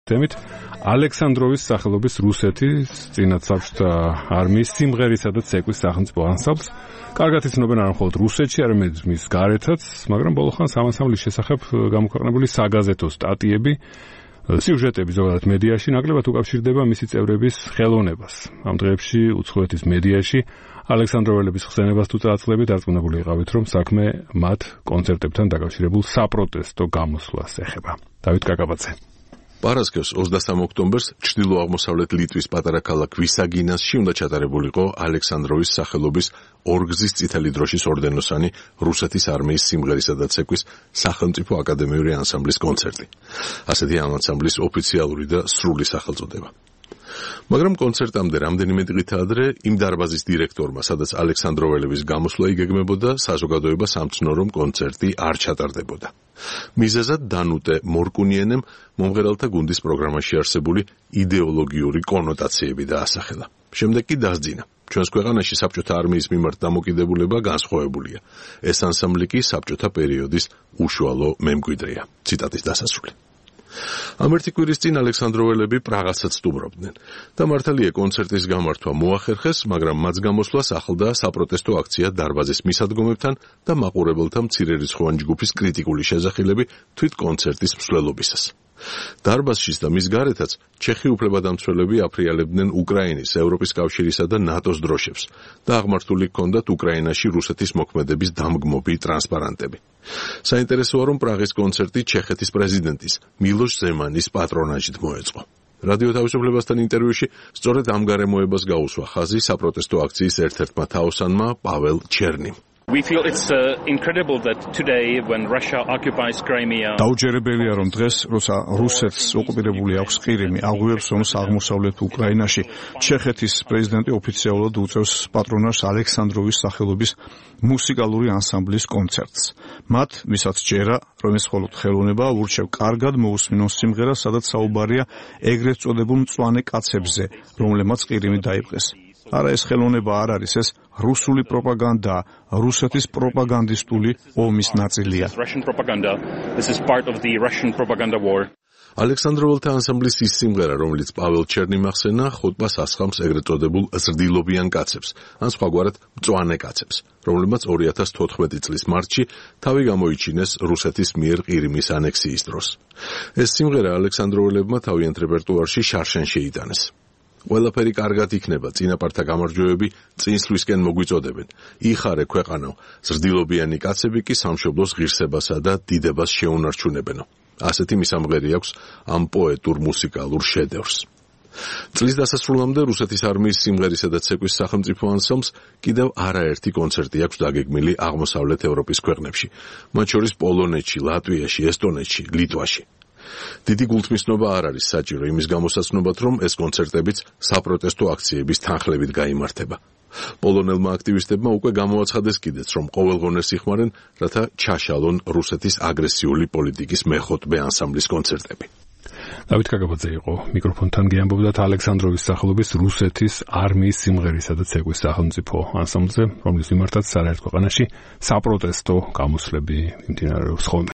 თემით ალექსანდროვის სახელობის რუსეთის წინათ საბჭოთა არმიის სიმღერისა და ცეკვის სახელმწიფო ანსამბლს კარგად იცნობენ არა მხოლოდ რუსეთში, არამედ მის გარეთაც, მაგრამ ბოლო ხანს ამ ანსამბლის შესახებ გამოქვეყნებული საგაზეთო სტატიები, სიუჟეტები ზოგადად მედიაში ნაკლებად უკავშირდება მისი წევრების ხელოვნებას. ამ დღეებში უცხოეთის მედიაში ალექსანდროველების ხსენებას თუ წარწლებით დარწმუნებული იყავით, რომ საქმე მათ კონცერტებთან დაკავშირებულ საპროტესტო გამოსვლას ეხება. დავით კაკაბაძე. პარასკევს 23 ოქტომბერს ჩრდილო-აღმოსავლეთ ლიტვის პატარა ქალაქ ვისაგინასში უნდა ჩატარებულიყო ალექსანდროვის სახელობის ორგზის წითელი დროშის ორდენოსანი რუსეთის არმიის სიმღერისა და ცეკვის სახელმწიფო აკადემიური ანსამბლის კონცერტი. ასეთი ამ ანსამბლის ოფიციალური და სრული სახელწოდება. მაგრამ კონცერტამდე რამდენიმე დღით ადრე იმ დარბაზის დირექტორმა, სადაც ალექსანდროველების გამოსვლა იგეგმებოდა, საზოგადოებას ამცნო, რომ კონცერტი არ ჩატარდებოდა. მიზეზად დანუტე მორკუნიენემ მომღერალთა გუნდის პროგრამაში არსებული იდეოლოგიური კონოტაციები დაასახელა. შემდეგ კი დასძინა. ჩვენს ქვეყანაში საბჭოთა არმიის მიმართ დამოკიდებულება განსხვავებულია. ეს ანსამბლი კი საბჭოთა პერიოდის უშუალო მემკვიდრეა. ციტატის დასასრული. ამ ერთი კვირის წინ ალექსანდროველები პრაღასაც სტუმრობდნენ და მართალია კონცერტის გამართვა მოახერხეს, მაგრამ მას გამოსვლას ახლდა საპროტესტო აქცია დარბაზის მისადგომებთან და მაყურებელთა მცირერიცხოვანი ჯგუფის კრიტიკული შეძახილები თვით კონცერტის მსვლელობისას. დარბაზშიც და მის გარეთაც ჩეხი უფლებადამცველები აფრიალებდნენ უკრაინის, ევროპის კავშირისა და ნატოს დროშებს და აღმართული ჰქონდათ უკრაინაში რუსეთის მოქმედების დამგმობი ტრანსპარანტები. საინტერესოა, რომ პრაღის კონცერტი ჩეხეთის პრეზიდენტის მილოშ ზემანის პატრონაჟით მოეწყო. რადიო თავისუფლებასთან ინტერვიუში სწორედ ამ გარემოებას გაუსვა ხაზი საპროტესტო აქციის ერთ-ერთმა თაოსანმა პაվել ჩერნიმ. We feel it's incredible that today when Russia occupies Crimea. დაუჯერებელია, რომ დღეს, როცა რუსეთს ოკუპირებული აქვს ყირიმი, აღვივებს ომს აღმოსავლეთ უკრაინაში, ჩეხეთის პრეზიდენტი ოფიციალურად უწევს პატრონაჟს ალექსანდროვის სახელობის მუსიკალური ანსამბლის კონცერტს. მათ, ვისაც ჯერა, რომ ეს მხოლოდ ხელოვნებაა, ურჩევ კარგად მოусმინონ სიმღერას, სადაც საუბარია ეგრეთ წოდებულ მწვანე კაცებზე, რომლებმაც ყირიმი დაიპყრეს. არა, ეს ხელოვნება არ არის, ეს რუსული პროპაგანდაა, რუსეთის პროპაგანდისტული ომის ნაწილია. ალექსანდროველთა ანსამბლის ის სიმღერა, რომელიც პაվել ჩერნიმ ახსენა, ხოტბას ასხამს ეგრეთ წოდებულ ზრდილობიან კაცებს, ან სხვაგვარად მწვანე კაცებს, რომლებმაც 2014 წლის მარტში თავი გამოიჩინეს რუსეთის მიერ ყირიმის ანექსიის დროს. ეს სიმღერა ალექსანდროველებმა თავიანთ რეპერტუარში შარშან შეიტანეს. ყველაფერი კარგად იქნება, წინაპართა გამარჯვებები წინსვლისკენ მოგვიწოდებენ. იხარე ქვეყანო, ზრდილობიანი კაცები კი სამშობლოს ღირსებასა და დიდებას შეუნარჩუნებენო. ასეთი მისამღერი აქვს ამ პოეტურ მუსიკალურ შედევრს. წლის დასასრულამდე რუსეთის არმიის სიმღერისა და ცეკვის სახელმწიფო ანსამბლს კიდევ არაერთი კონცერტი აქვს დაგეგმილი აღმოსავლეთ ევროპის ქვეყნებში, მათ შორის პოლონეთში, ლატვიაში, ესტონეთში, ლიტვაში. დიდი გულთმისნობა არ არის საჭირო იმის გამოსაცნობად, რომ ეს კონცერტებიც საპროტესტო აქციების თანხლებით გაიმართება. პოლონელმა აქტივისტებმა უკვე გამოაცხადეს კიდეც, რომ ყოველღონეს იხმარენ, რათა ჩაშალონ რუსეთის აგრესიული პოლიტიკის მეხუთმე ანსამბლის კონცერტები. დავით კაკაბაძე იყო მიკროფონთან გეამბობდათ ალექსანდროვის სახელობის რუსეთის არმიის სიმღერისა და ცეკვის სახელმწიფო ანსამბლზე, რომლის მიმართაც არაერთ ქვეყანაში საპროტესტო გამოსვლები მიმდინარეობს ხოლმე.